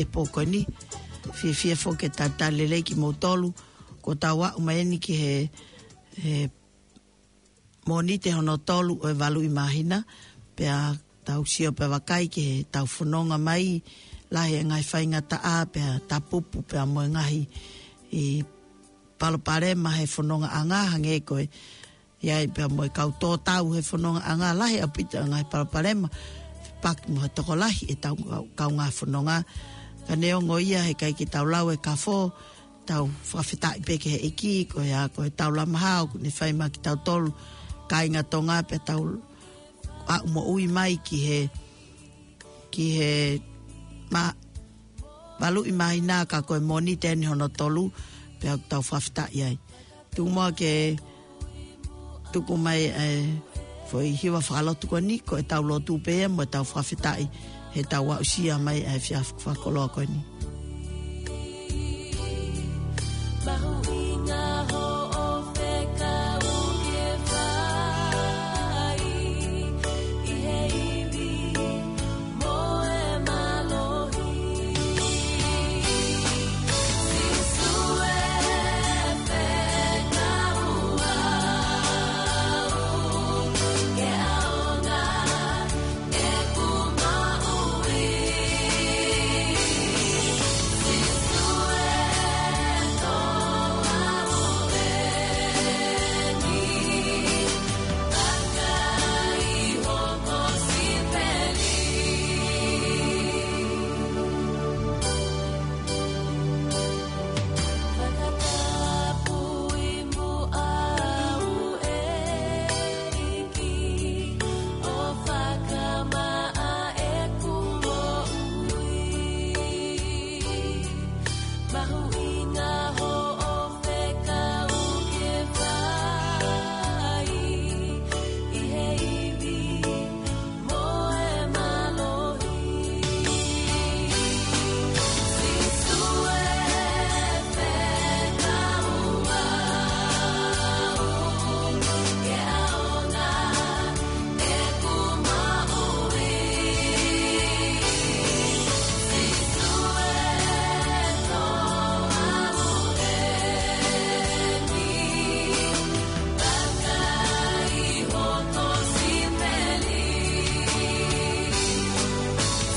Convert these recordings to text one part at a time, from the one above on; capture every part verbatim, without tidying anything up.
pō ko eni. Fiefia foki ke talitali lelei kimoutolu, kuo tau aʻu mai eni ki he, he Mōnite hono tolu ʻo e valu ʻi māhina, pea tau sio pea vakai ki heʻetau fononga mai, lahi e ngaahi faingataʻa, pea tapupu, pea mo e ngaahi ʻi palopalema he fonongaʻanga, hangē ko e ʻi ai pea mo e kau tō tau he fonongaʻanga, lahi ʻaupito e ngaahi palopalema, fepaki mo ha tokolahi ʻetau kau, kaungā fononga. Ka neongo ia heʻikai ke tau lau e kafo, tau fakafetaʻi pē ki he ʻEiki, ko ia ko e tau lamaha ʻoku ne fai maʻa kitautolu, kāinga Tonga pea tau aʻu moʻui mai ki he, ki he ma-, valu ʻi māhina ka ko e Mōnite eni hono tolu, pea ʻoku tau fakafetaʻi ai. Tuku muʻa ke tuku mai e foʻi hiva fakalotu ko eni, ko ʻetau lotu pē ia mo ʻetau fakafetaʻi heʻetau aʻusia mai e efiafi fakakoloa ko eni. Mahuʻinga hoʻo fekau ke fai ʻi he ivi mo e mālohi. Sīsū e fekau au ke ʻaonga ʻeku moʻui. Sīsū e toʻa moʻoni, vakai hoku sipeli. Fakatapui muʻa au ʻEiki, ʻo fakamaʻa ʻeku moʻui. Mahuʻinga hoʻo fekau ke fai ʻi he ivi mo e mālohi. Sīsū e fekau au ke ʻaonga ʻeku moʻui. Sīsū e toʻa moʻoni, vakai hoku sipeli.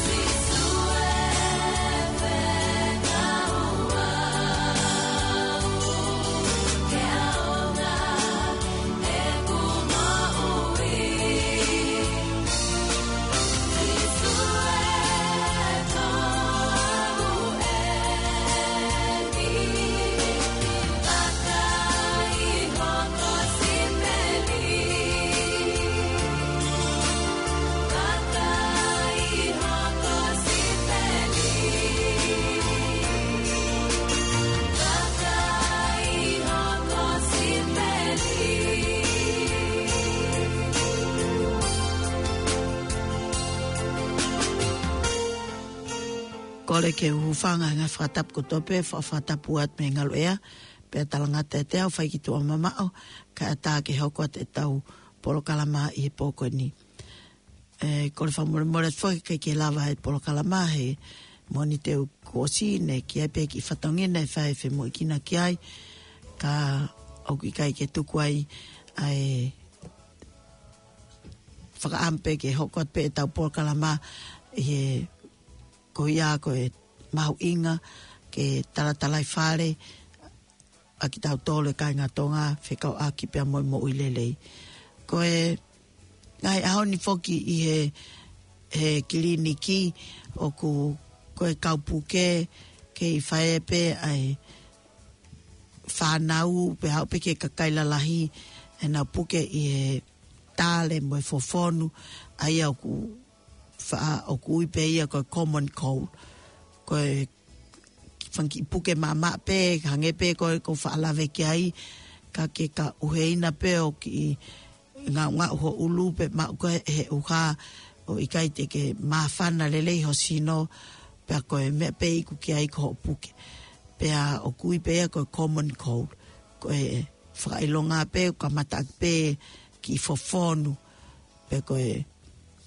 Sīsū e fekau au ke ʻaonga ʻeku moʻui. Sīsū e toʻa moʻoni, vakai hoku sipeli. Vakai hoku sipeli. Vakai hoku sipeli. Kole ke u hūfanga he ngaahi fakatapu kotoa pē, fa-, fakatapu atu mei he ngaluʻea, pea talangata ʻiate au, fai ki tuʻa mamaʻo, kae ʻatā ke hoko atu ʻetau polokalama ʻi he pō ko eni. ʻE, kole fakamolemole foki ʻikai ke lava e polokalama he Mōnite kuo ʻosi, ne ʻi ai pē kiʻi fatongia naʻe fai femuʻekina ki ai, ka ʻoku ʻikai ke tuku ai ʻa e fakaʻamu pē ke hoko atu pē ʻetau polokalama ʻi he, ko ia ko e mahuʻinga ke talatalaifale ʻa kitautolu e kāinga Tonga fekauʻaki pea mo e moʻui lelei. Ko e ngaahi ʻaho ni foki ʻi he, he kiliniki ʻoku, ko e kau puke, kei fai pē ʻa e fānau, pea aʻu pē ki he kakai lalahi, ʻenau puke ʻi he tale mo e fofonu, ʻa ia ʻoku fa-, ʻoku ui pē ia ko e common cold. Ko e fanga kiʻi puke maʻamaʻa pē, hangē pē ko e ʻoku ou faʻa lave ki ai, ka ke ka ʻuheina pē ʻo kiʻi ngaungaʻu ho ʻulu pe maʻu koe he ʻuha ʻo ʻikai te ke māfana lelei ho sino, pea ko e meʻa pē iku ki ai ko hoʻo puke. Pea ʻoku ui pē ia ko e common cold. Ko e fakaʻilonga pē, ʻoku kamata ʻaki pē kiʻi fofonu, pe ko e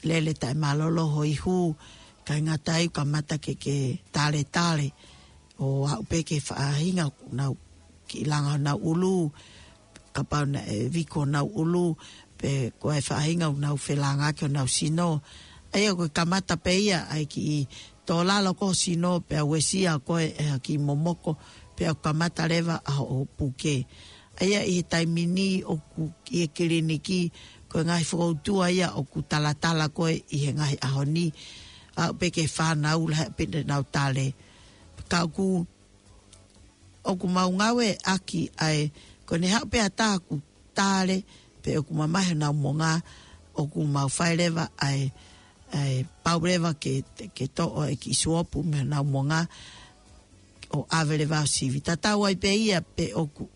lele taʻemālōlō ho ihu, ʻikai ngata ai, kamata ke, ke taletale, ʻo aʻu pē ki he faʻahinga ʻoku nau kiʻi langa honau ʻulu, kapau naʻe viko honau ʻulu, pe ko e faʻahinga ʻoku nau felāngaaki honau sino. ʻA ia ko e kamata pē ia ʻa e kiʻi tō lalo ko ē ho sino, pea uesia ko ē ʻe ha kiʻi momoko, pea kamata leva ʻa hoʻo puke. ʻA ia ʻi he taimi ni ʻoku ʻi he kiliniki, ko e ngaahi fokoutua ia ʻoku talatala ko ē ʻi he ngaahi ʻaho ni, aʻu pē ki he fānau lahi pē ʻenau tale. Ka ʻoku, ʻoku mau ngāueʻaki ʻa e, ko ʻene haʻu pē ha taha ʻoku tale, pe ʻoku mamahi honau monga, ʻoku mau fai leva ʻa e, ʻa e pau leva ke, ke toʻo e kiʻi suopu mei honau monga, ʻo ʻave leva ʻo sivi. Tatau ai pē ia pe ʻoku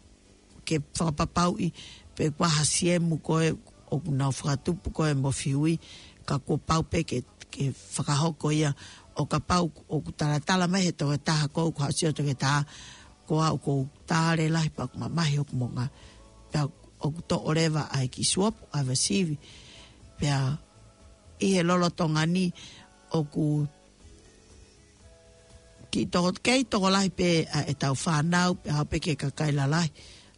ke fakapapauʻi pe ko e hā e siemu ko ē ʻoku nau fakatupu ko ē mo fihui, ka kuo pau pē ke, ke fakahoko ia, ʻo kapau ʻoku talatala mai he toketaha ko ē, ʻoku haʻu ʻo sio e toketaha, ko au ʻoku ou tale lahi pea ʻoku mamahi hoku monga. Pea ʻoku toʻo leva ʻa e kiʻi suopu ʻave ʻo sivi. Pea ʻi he lolotonga ni ʻoku kiʻi toko, kei tokolahi pē ʻa ʻetau fānau, pea aʻu pē ki he kakai lalahi,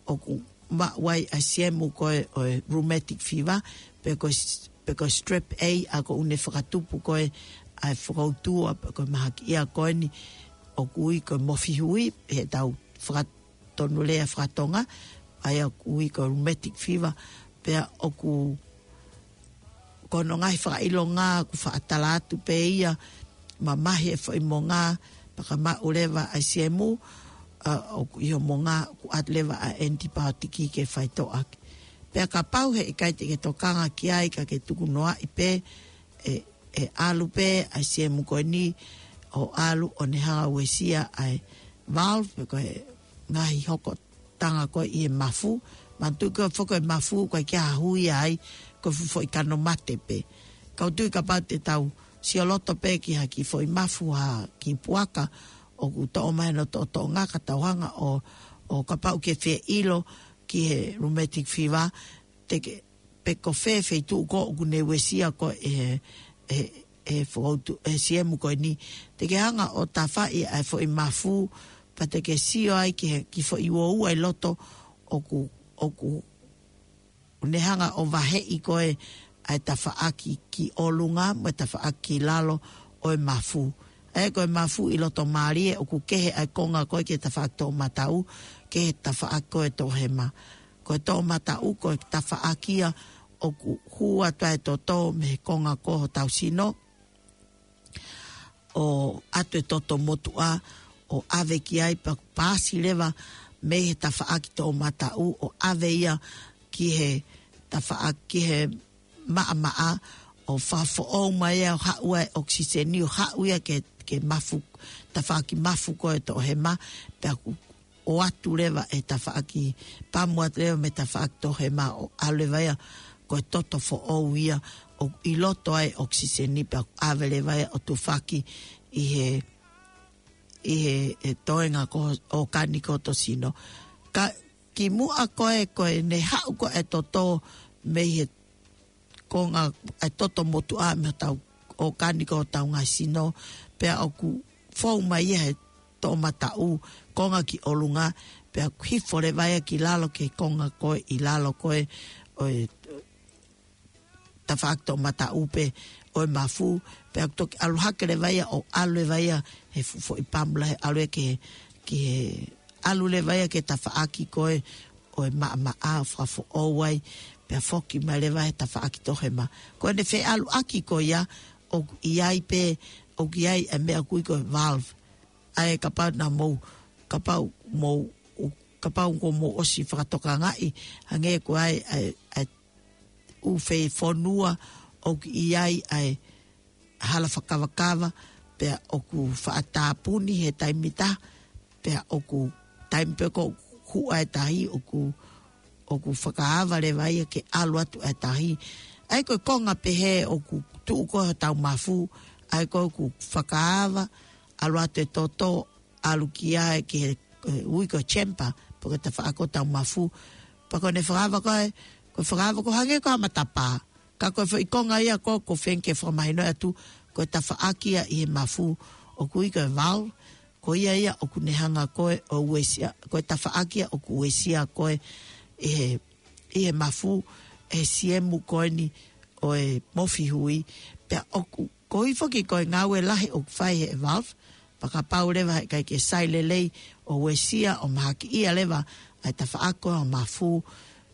ʻoku maʻu ai ʻa e siemu ko ē ʻo e rheumatic fever, pe ko e s-, pe ko e strep A, ʻa ia ʻoku ne fakatupu ko ē ʻa e fokoutua, pe ko e mahakiʻia ko eni, ʻoku ui ko e mofihui, heʻetau faka-, tonu lea faka-Tonga, ʻa ia ʻoku ui ko e rheumatic fever, pea ʻoku, ko hono ngaahi fakaʻilonga ʻoku faʻa tala atu pē ia, mamahi e foʻi monga, pea ka maʻu leva ʻa e siemu, ʻa, ʻoku ʻi ho monga, ʻoku ʻoatu leva ʻa e antibiotic ke faitoʻo ʻaki. Pea kapau heʻikai te ke tokanga ki ai ka ke tukunoaʻi pē, ʻe, ʻe ʻalu pē ʻa e siemu ko eni, ʻo ʻalu ʻo ne hanga ʻo uesia ʻa e valve, pe ko e ngaahi hokotanga ko ē ʻi he mafu. Manatuʻi ko e foʻi mafu, ʻoku ʻikai ke ʻi ai ha hui ai, ko e fuʻu foʻi kano mate pē. Ka ʻoku ou tui kapau te tau sioloto pē ki ha kiʻi foʻi mafu, ha kiʻi puaka, ʻoku toʻo mai hono toʻotoʻonga ka tau hanga ʻo, ʻo kapau ʻoku ke fie ʻilo ki he rheumatic fever, te ke, pe ko fē feituʻu ko ē ʻoku ne uesia ko ē ʻe, ʻe, ʻe fokoutua, ʻe siemu ko eni. Te ke hanga ʻo tafaʻi ʻa e foʻi mafu, pea te ke sio ai ki he, kiʻi foʻi uoua ʻi loto ʻoku, ʻoku ne hanga ʻo vaheʻi ko ē ʻa e tafaʻaki ki ʻolunga mo e tafaʻaki ki lalo ʻo e mafu. ʻA ia ko e mafu ʻi loto mālie ʻoku kehe ʻa e konga ko ē ki he tafaʻaki toʻomataʻu, ki he tafaʻaki ko ē toʻohema. Ko e toʻomataʻu ko e tafaʻaki ia ʻoku hū atu ai e toto mei he konga ko ē hotau sino, ʻo ʻoatu e toto motuʻa, ʻo ʻave ki ai pea paasi leva mei he tafaʻaki toʻomataʻu, ʻo ʻave ia ki he tafaʻaki, ki he maʻamaʻa, ʻo fakafoʻou mai ia, ʻo haʻu ai e ʻokisiseni, ʻo haʻu ia ki he, ki he mafu, tafaʻaki mafu ko ē toʻohema, pea ʻoku ʻoatu leva e tafaʻaki, pamu atu leva mei he tafaʻaki toʻohema ʻo ʻalu leva ia ko e toto foʻou ia ʻoku ʻi loto ai e ʻokisiseni pea ʻave leva ia ʻo tufaki ʻi he, ʻi he, he toenga ko ē ʻōkani ko ē ho sino. Ka kimuʻa ko ē, ko ʻene haʻu ko ē e toto mei he konga e toto motuʻa mei hotau ʻōkani ko ē hotau ngaahi sino, pea ʻoku fou mai ia he toʻomataʻu konga ki ʻolunga, pea ʻoku hifo leva ia ki lalo ki he konga ko ē ʻi lalo ko ē ʻo e tafaʻaki toʻomataʻu pē ʻo e mafu, pea ʻoku toki ʻalu hake leva ia ʻo ʻalu leva ia he fuʻu foʻi pamu lahi ʻalu ia ki he, ki he ʻalu leva ia ki he tafaʻaki ko ē ʻo e maʻamaʻa ʻo fakafoʻou ai, pea foki mai leva he tafaʻaki toʻohema. Ko ʻene feʻaluʻaki ko ia, ʻoku ʻi ai pē, ʻoku ʻi ai e meʻa ʻoku ui ko e valve. ʻA ia kapau naʻa mou, kapau mou, kapau kuo mou ʻosi fakatokangaʻi, hangē ko e ʻai, ʻai, ʻai ʻū fei fonua ʻoku ʻi ai ʻa e hala fakakavakava, pea ʻoku faʻa tāpuni he taimi ʻe taha, pea ʻoku taimi pē ko ē ʻoku huʻa e tahi, ʻoku, ʻoku fakaava leva ia ke ʻalu atu e tahi. ʻA ia ko e konga pehē ʻoku tuʻu ko ē hotau mafu, ʻa ia ko ē ʻoku fakaava, ʻalu atu e toto, ʻalu ki ai ki he, ʻe, ui ko e chamber, pe ko e tafaʻaki ʻo hotau mafu. Pea ko ʻene fakaava ko ē, ko e fakaava ko ē hangē ko ha matapā. Ka ko e foʻi konga ia ko ē ʻoku ou feinga ke fakamahinoʻi atu, ko e tafaʻaki ia ʻi he mafu, ʻoku ui ko e valve, ko ia ia ʻoku ne hanga ko ē ʻo uesia, ko e tafaʻaki ia ʻoku uesia ko ē ʻi he, ʻi he mafu, ʻe he siemu ko eni ʻo e mofihui, pea ʻoku, koeʻuhi foki ko e ngāue lahi ʻoku fai he valve, pea kapau leva heʻikai ke sai lelei ʻo uesia ʻo mahakiʻia leva ʻa e tafaʻaki ʻo e mafu,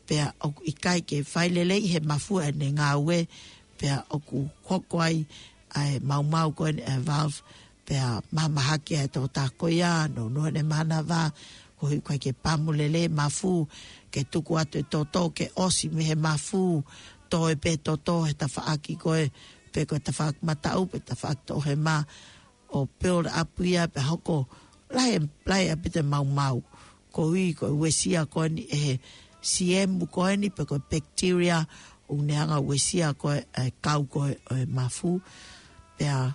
pea ʻoku ʻikai ke fai lelei he mafu ʻene ngāue, pea ʻoku hoko ai ʻa e maumau ko eni ʻa e valve, pea mahamahaki ʻa e tokotaha ko ia, nounou ʻene manava, koeʻuhi ʻoku ʻikai ke pamu lelei mafu, ke tuku atu e toto ke ʻosi mei he mafu, toe pē toto he tafaʻaki ko ē, pe ko e tafaʻaki mataʻu, pe tafaʻaki toʻohema, ʻo build up ia pea hoko lahi, lahi ʻaupito e maumau. Koeʻuhi ko e uesia ko eni ʻe he siemu ko eni pe ko e bacteria, ʻoku ne hanga uesia ko ē, ʻa e kau ko ē ʻo e mafu. Pea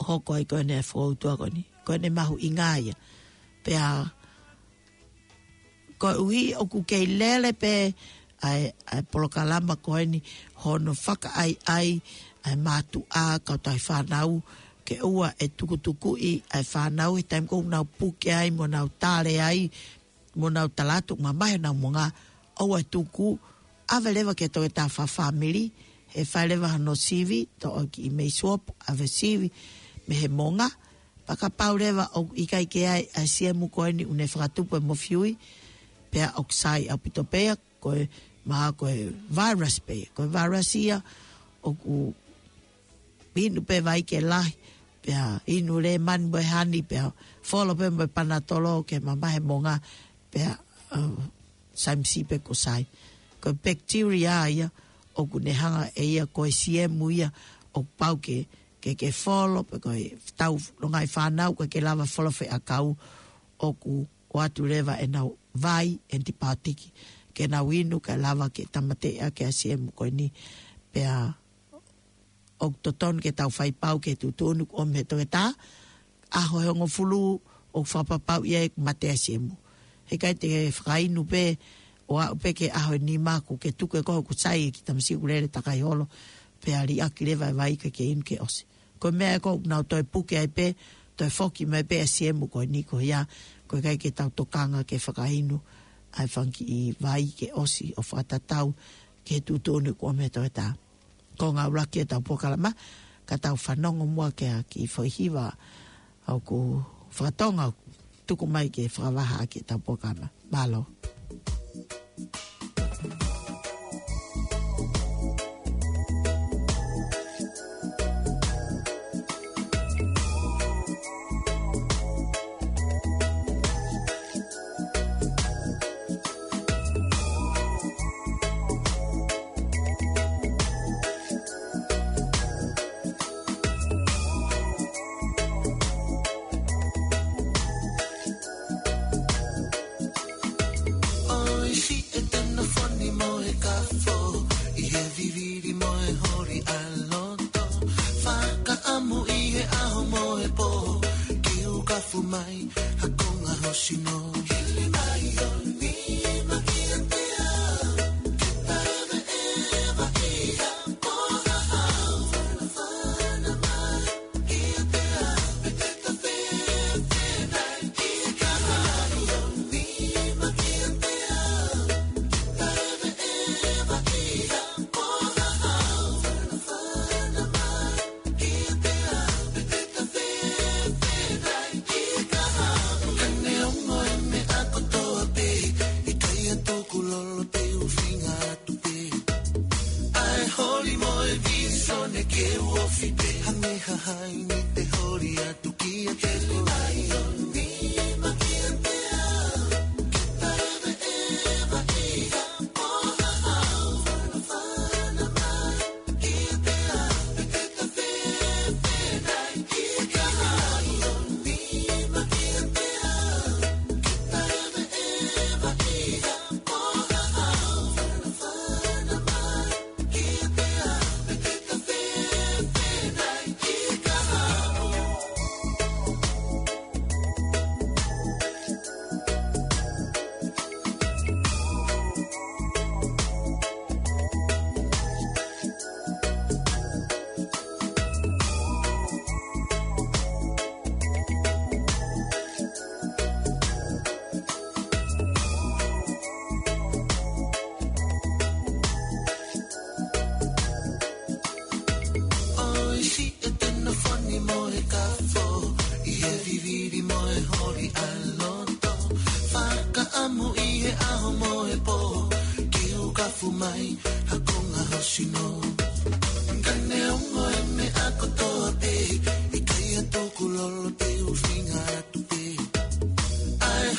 hoko ai ko eni e foutua ko eni. Ko eni mahuʻinga ia. Pea koeʻuhi ʻoku kei lele pē ʻa e, ʻa e polokalama ko eni hono fakaʻaiʻai ʻa e mātuʻa kae ʻumaʻā e fānau, ke ʻoua ʻe tukutukuʻi ʻa e fānau he taimi ko ē ʻoku nau puke ai, mo nau tale ai, mo nau tala atu ʻoku mamahi honau moʻunga, ʻoua ʻe tuku, ʻave leva ki he toketā fakafāmili, he fai leva hono sivi, toʻo ki he mei suopu, ʻave sivi mei he moʻunga, pea kapau leva ʻoku ʻikai ke ʻi ai ʻa e siemu ko eni ʻoku ne fakatupu e mofihui, pea ʻoku sai ʻaupito pē ia, ko e mahalo ko e virus pē, ko e virus ia ʻoku inu pē vai ke lahi, pea inu lēmani mo e hani, pea folo pē mo e panatolo ke mamahi e moʻunga, pea, uh, sai misi pē kuo sai. Ko e bacteria ia, ʻoku ne hanga ʻe ia ko e siemu ia, ʻoku pau ke, ke, ke folo, pe ko e tau longaʻi fānau, ʻikai ke lava folo fē ʻakau, ʻoku ʻoatu leva ʻenau vai, antibiotic, ke nau inu, ke lava ke tāmateʻi ʻaki ʻa e siemu ko eni, pea ʻoku totonu ke tau fai pau ke tuʻutuʻuni kuo ʻomi he toketā, ʻaho ʻe hongofulu ʻoku fakapapauʻi ai ʻoku mate ʻa e siemu. Heʻikai te ke fakainu pē, ʻo aʻu pē ki he ʻaho ʻe nima kuo ke tuku ʻe koe ʻoku sai e kiʻi tamasiʻi ʻoku lele takai holo, pea liʻaki leva e vai ke ke inu ke ʻosi. Ko e meʻa ē ʻoku nau toe puke ai pē, toe foki mai pē ʻa e siemu ko eni ko ia, ʻoku ʻikai ke tau tokanga ke fakainu ʻa e fanga kiʻi vai ke ʻosi ʻo fakatatau ki he tuʻutuʻuni kuo ʻomi he toketā. Ko e ngāue ʻuluaki ʻetau polokalama, ka tau fanongo muʻa ki he kiʻi foʻi hiva ʻoku fakatonga ʻoku tuku mai ke fakavahaʻaki ʻetau polokalama. Mālō. ʻOi, siʻi e tena foni mo e kafo, ʻi he vivili mo e holi ʻa loto. Fakaʻamu ʻi he ʻaho mo e pō, ke u kafu mai ha konga hosino. Hili mai ʻo nima kiate au, ke pave eva ia, ko ha au, fana fana mai.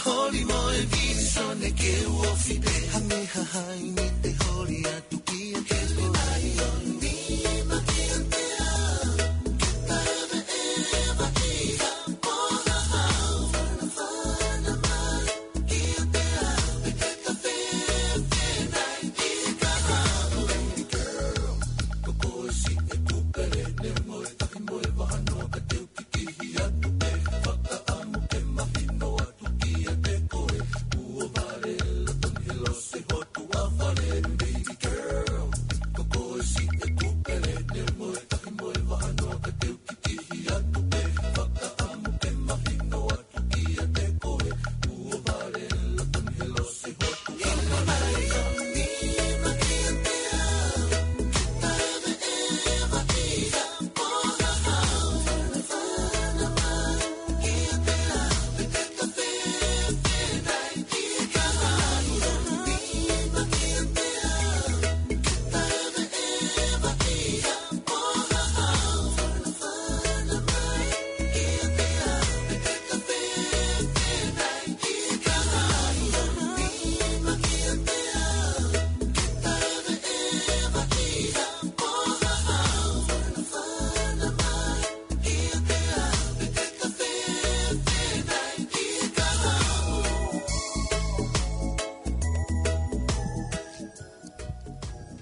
Holi mo e visone ke uofi pē. Hame hahai ni te holi atu ki a ke le mai o ni ma ki a te a. Ke tave e va i ha ko ha hau. Fana fana mai ki a te a. Pe ke ka fe fe nai ki ka hau. Ko ko si e kupele ne mo e tahi mo e vahanoa ka te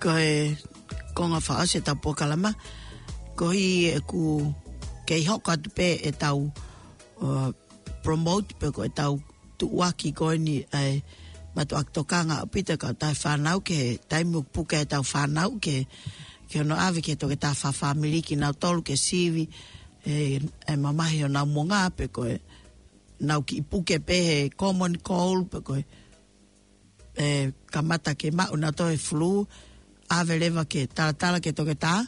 Ko e konga fakaʻosi ʻetau polokalama, ko e ʻeku kei hoko atu pē ʻetau, uh, promote pe ko ʻetau tuʻuaki ko eni ʻa e mātuʻaki tokanga ʻaupito e kautaha fānau ki he taimi ʻoku puke ai ʻetau fānau ke, ke hono ʻave ki he toketā fakafāmili kinautolu ke sivi, ʻe, ʻe mamahi honau mongā pe ko e nau kiʻi puke pē he common cold pe ko e, ʻe, kamata ke maʻu nautolu e flu, ʻave leva ke talatala ki he toketā,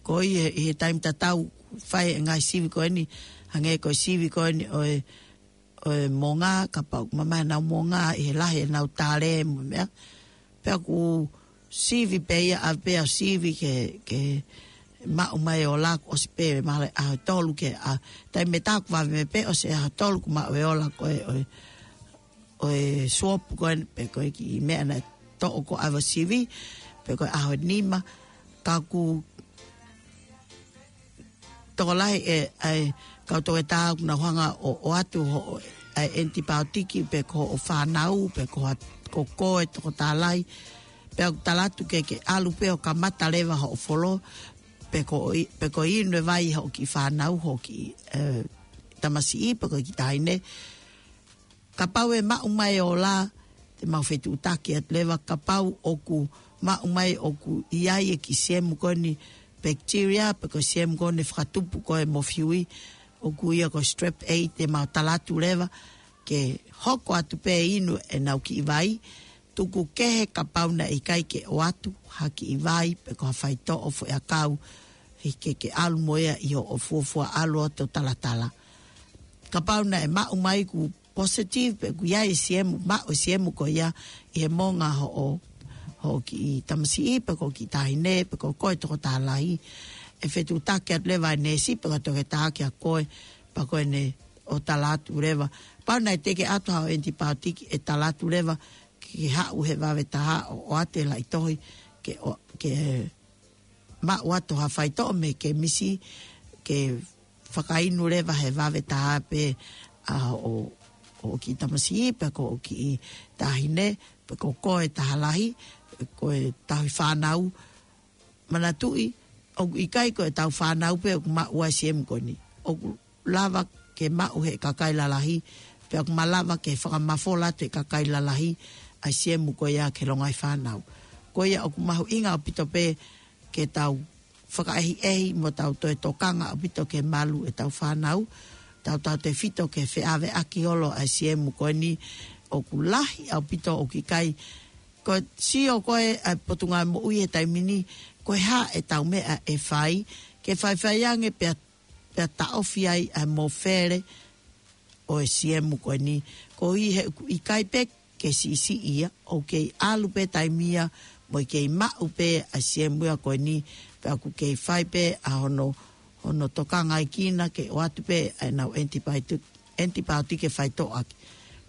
ko ia ʻi he taimi tatau fai e ngaahi sivi ko eni, hangē ko e sivi ko eni ʻo e, ʻo e mongā, kapau mamahi honau mongā ʻi he lahi ʻenau tale mo e meʻa. Pea ʻoku sivi pē ia, ʻave pē ʻo sivi ke, ke maʻu mai e ola, kuo ʻosi pē mahalo e ʻaho ʻe tolu ke, ʻa, taimi tatau kuo vave mai pē ʻosi e ʻaho ʻe tolu kuo maʻu e ola ko ē ʻo e, ʻo e swab ko ē, pe ko e kiʻi meʻa naʻe toʻo ko ē ʻave ʻo sivi, pe ko e ʻaho ʻe nima, ka ʻoku tokolahi e, ʻa e kau toketā ʻoku nau hanga ʻo, ʻoatu hoʻo, ʻa e ʻenitipaotiki pe ko hoʻo fānau, pe ko ha, ko koe tokotā lahi, pea ʻoku tala atu ke, ke ʻalu pē ʻo kamata leva hoʻo folo, pe ko i-, pe ko e inu e vai hoʻo kiʻi fānau, hoʻo kiʻi, ʻe, tamasiʻi, pe ko e kiʻi taʻahine. Kapau ʻe maʻu mai e ola, te mau fetuʻutaki atu leva, kapau ʻoku maʻu mai ʻoku ʻi ai e kiʻi siemu ko eni bacteria, pe ko e siemu ko eni fakatupu ko ē mo fiui, ʻoku ʻia ko e strep A, te mau tala atu leva, ke hoko atu pē inu ʻenau kiʻi vai, tuku kehe kapau naʻe ʻikai ke ʻoatu ha kiʻi vai, pe ko ha faitoʻo foʻiʻakau, he ke, ke ʻalu mo ia ʻi hoʻo fuofua ʻalu ʻo talatala. Kapau naʻe maʻu mai ʻoku positive, pe ʻoku ʻi ai e siemu, maʻu e siemu ko ia ʻi he monga hoʻo, hoʻo kiʻi tamasiʻi, pe ko e kiʻi taʻahine, pe ko koe tokotā lahi, ʻe fetuʻutaki atu leva e neesi, pe ko e toketā kia koe, pea ko ʻene ʻo tala atu leva. Kapau naʻe teʻeki ʻoatu haʻo ʻenitipaotiki ʻe tala atu leva, ke haʻu he vave taha ʻo, ʻoatu e laʻi tohi, ke ʻo, ke maʻu atu ha faitoʻo mei he kemisi, ke fakainu leva he vave taha pē ʻa hoʻo, hoʻo kiʻi tamasiʻi, pe ko hoʻo kiʻi taʻahine, pe ko koe taha lahi, ko e tauhi fānau, manatuʻi, ʻoku ʻikai ko ʻetau fānau pē ʻoku maʻu ʻa e siemu ko eni. ʻOku lava ke maʻu he kakai lalahi, pea ʻoku malava ke fakamafola atu he kakai lalahi ʻa e siemu ko ia ki he longaʻi fānau. Ko ia ʻoku mahuʻinga ʻaupito pē ke tau fakaʻehiʻehi mo tau toe tokanga ʻaupito ke malu ʻetau fānau, tautautefito ke feʻaveʻaki holo ʻa e siemu ko eni ʻoku lahi ʻaupito ʻoku ʻikai. Ko e sio ko ē ʻa e Potungāue Moʻui he taimi ni, ko e hā ʻetau meʻa ʻe fai, ke faifai ange pea, pea taʻofi ai ʻa e mofele ʻo e siemu ko eni, koeʻuhi he ʻoku ʻikai pē ke siʻisiʻi ia, ʻoku kei ʻalu pē taimi ia, mo e kei maʻu pē ʻa e siemu ia ko eni, pea ʻoku kei fai pē ʻa hono, hono tokangaʻi kinautolu ke ʻoatu pē ʻa ʻenau ʻenitipaotiki, ʻenitipaotiki ke faitoʻo ʻaki.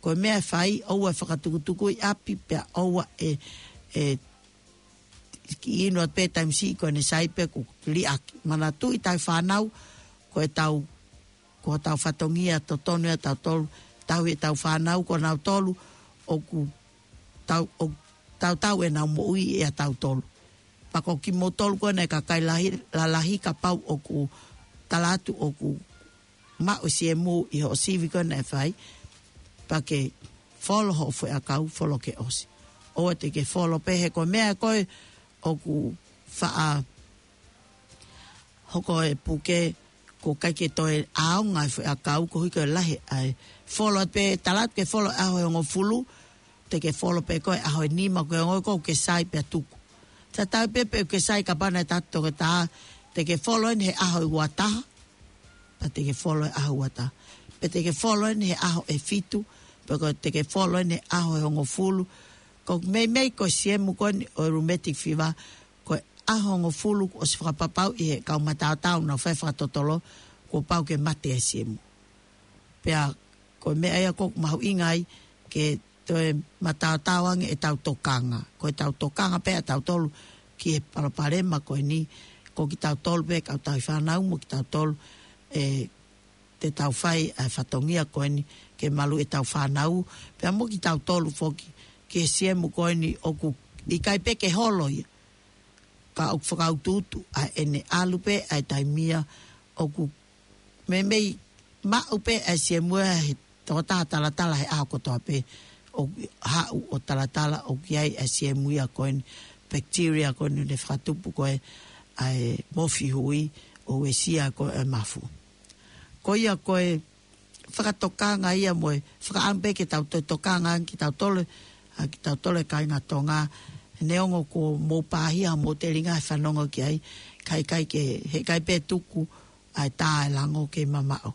ko e meʻa ʻe fai, ʻoua ʻe fakatukutuku ʻi ʻapi, pea ʻoua ʻe, ʻe kiʻi inu atu pē taimi siʻi ko ʻene sai pē kuo liʻaki. Manatuʻi tau fānau, ko e tau, ko e tau fatongia totonu ʻa tautolu, tau ʻi he tau fānau, ko nautolu ʻoku tau, ʻo tautau ʻenau moʻui ʻia tautolu. Pea ko kimoutolu ko ena e kakai lahi, lalahi kapau ʻoku tala atu ʻoku maʻu e siemu ʻi hoʻo sivi ko ena ʻe fai, pea ke folo hoʻo foʻi ʻakau, folo ke ʻosi. ʻOua te ke folo pē he ko e meʻa ko ē ʻoku faʻa hoko e puke, ʻoku ʻikai ke toe ʻaonga e foʻi ʻakau, koeʻuhi ko e lahi ʻa e folo pē, tala atu ke folo ʻaho ʻe hongofulu, te ke folo pē ko e ʻaho ʻe nima ko e ongo ko ke sai pea tuku. Tatau pē pe ke sai kapau naʻe tala atu ʻe he toketā, te ke folo eni he ʻaho ʻe uataha, pea te ke folo he ʻaho uataha. Pe te ke folo eni he ʻaho ʻe fitu, pe ko te ke folo eni he ʻaho ʻe hongofulu. Ko e meimei ko e siemu ko eni ʻo e rheumatic fever, ko e ʻaho ʻe hongofulu kuo ʻosi fakapapauʻi ʻe he kau mataotao naʻa nau fai fakatotolo, kuo pau ke mate e siemu. Pea ko e meʻa ia ʻoku mahuʻinga ai ke toe mataotao ange ʻetau tokanga. Ko ʻetau tokanga pē ʻa tautolu ki he palopalema ko eni, ko kitautolu pē kau tauhi fānau mo kitautolu ʻe te tau fai ʻa e fatongia ko eni ke malu ʻetau fānau, pea mo kitautolu foki ki he siemu ko eni ʻoku ʻikai pē ke holo ia. Ka ʻoku fakautuutu ʻa ʻene ʻalu pē ʻa e taimi ia ʻoku meimei maʻu pē ʻa e siemu ia he tokotaha talatala he ʻaho kotoa pē ʻoku haʻu ʻo talatala ʻoku ʻi ai ʻa e siemu ia ko eni bacteria ko eni ne fakatupu ko ē ʻa e mofi hui ʻo uesia ko ē ʻa e mafu. Ko ia ko e fakatokanga ia mo e fakaʻamu pē ke tau toe tokanga ange kitautolu, ʻa kitautolu e kāinga Tonga, neongo kuo mou pāhia mo telinga he fanongo ki ai, ka ʻikai ke, heʻikai pē tuku ʻa e tā e lango ke mamaʻo.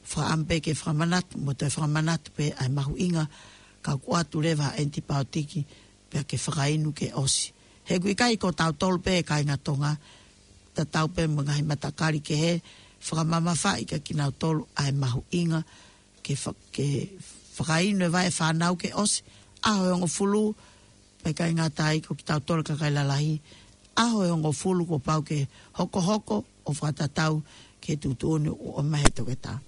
Fakaʻamu pē ke fakamanatu, mo toe fakamanatu pē ʻa e mahuʻinga, ka ʻoku ʻoatu leva ʻa e ʻanitipaotiki, pea ke fakainu ke ʻosi. He ʻoku ʻikai ko tautolu pē kāinga Tonga, tatau pē mo e ngaahi matakali kehe, fakamamafaʻi kia kinautolu ʻa e mahuʻinga, ke fa-, ke fakainu e vaʻe fānau ke ʻosi, ʻaho ʻe hongofulu, pea ʻikai ngata ai ko kitautolu kakai lalahi, ʻaho ʻe hongofulu kuo pau ke hokohoko ʻo fakatatau ki he tuʻutuʻuni ʻoku ʻomai he toketā.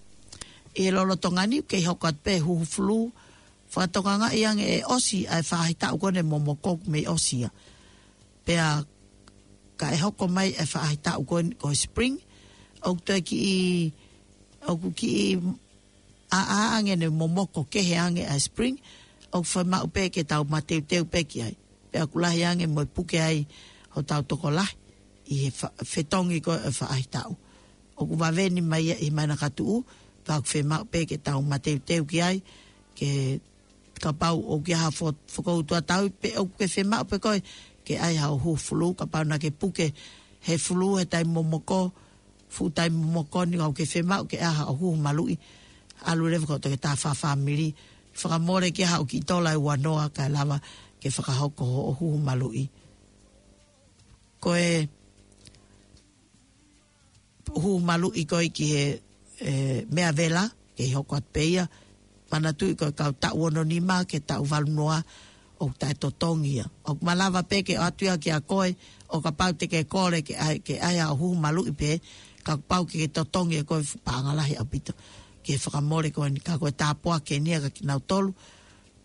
ʻI he lolotonga ni, kei hoko atu pē huhu fulū, fakatokangaʻi ange ʻe ʻosi ʻa e faʻahitaʻu ko eni momoko ʻoku mei ʻosi ia. Pea ka ʻe hoko mai e faʻahitaʻu ko eni ko e spring, ʻoku toe kiʻi, ʻoku kiʻi ʻaʻa ange ʻene momoko kehe ange ʻa e spring, ʻoku fiemaʻu pē ke tau mateuteu pē ki ai. Pea ʻoku lahi ange mo e puke ai hotau tokolahi ʻi he fa-, fetongi ko ē ʻo e faʻahitaʻu. ʻOku vave ni mai ia ʻi he māhina ka tuʻu, pea ʻoku fiemaʻu pē ke tau mateuteu ki ai, ke kapau ʻoku ʻi ai ha fo-, fokoutua tau pē ʻoku ke fiemaʻu pē koe ke ʻai haʻo huhu fulū, kapau naʻa ke puke he fulū he taimi momoko, fuʻu taimi momoko ni ʻoku ke fiemaʻu ke ʻai haʻo huhu maluʻi, ʻalu leva ki hoʻo toketā fakafāmili, fakamole ki ai haʻo kiʻi tola ʻe uanoa kae lava ke fakahoko hoʻo huhu maluʻi. Ko e huhu maluʻi ko ē ki he, e, meʻa vela, kei hoko atu pē ia, manatuʻi ko e kau taʻu ono nima ki he taʻu valu noa ʻoku taʻetotongi ia. ʻOku malava pē ke ʻoatu ia kia koe, ʻo kapau te ke kole ke ʻai, ke ʻai haʻo huhu maluʻi pē, ka kuo pau ke ke totongi ʻe koe fuʻu paʻanga lahi ʻaupito. Ke fakamole ko eni ka ko e tāpuaki eni ia kia kinautolu,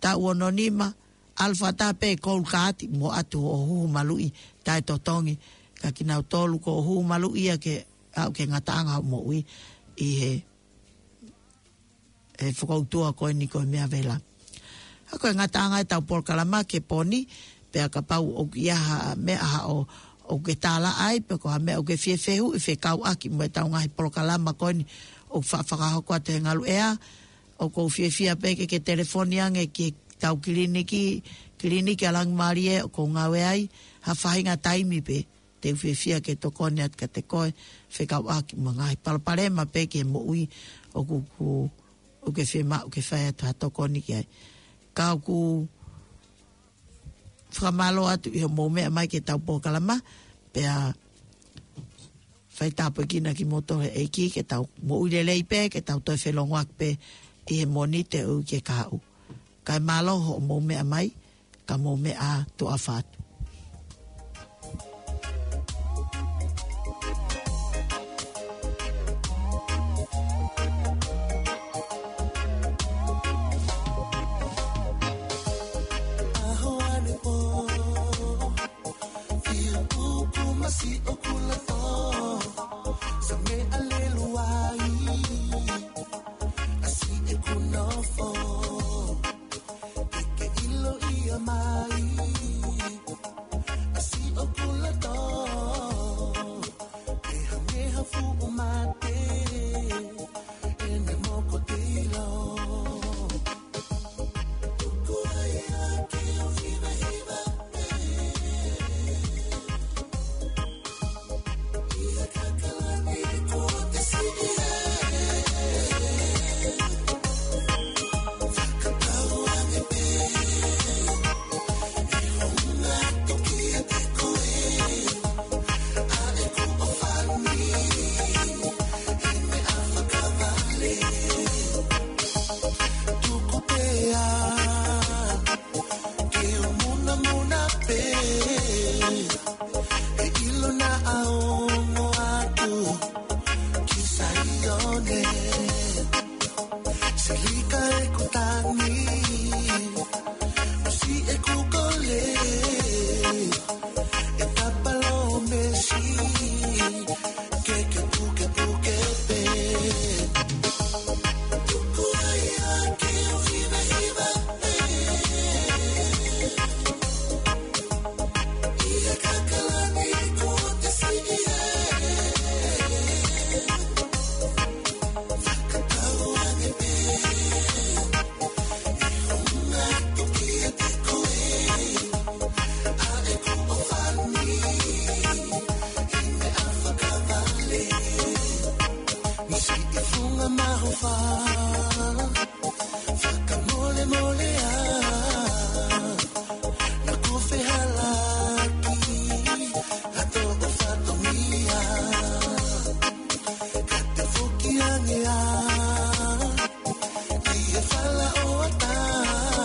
taʻu ono nima, ʻalu fakataha pē Gold Guard mo ʻoatu hoʻo huhu maluʻi taʻetotongi kia kinautolu ko e huhu maluʻi ia ke aʻu ki he ngataʻanga hoʻo moʻui ʻi he, he fokoutua ko eni ko e meʻa vela. ʻA ko e ngataʻanga ʻetau polokalama ki he pō ni, pea kapau ʻoku ʻi ai ha meʻa haʻo, ʻoku ke tālaʻa ai, pe ko ha meʻa ʻoku ke fie fehuʻi fekauʻaki mo ʻetau ngaahi polokalama ko eni ʻoku fa-, fakahoko atu he ngaluʻea, ʻoku ou fiefia pē ke ke telefoni ange ki heʻetau kiliniki, Kiliniki ʻa Langimālie ʻoku ou ngāue ai, ha faʻahinga taimi pē, te u fiefia ke tokoni atu kiate koe, fekauʻaki mo e ngaahi palopalema pē ki he moʻui ʻoku, ʻoku, ʻoku ke fiemaʻu ke fai atu ha tokoni ki ai. Ka ʻoku fakamālō atu ʻi hoʻomou meʻa mai ki heʻetau polokalama, pea fai tāpuekina kimoutolu ʻe he ʻEiki ke tau moʻui lelei pē, ke tau toe felongoaki pē ʻi he Mōnite ʻo e uike kahaʻu. Kae mālō hoʻomou meʻa mai, ka mou meʻa ā, tuʻa ʻofa atu.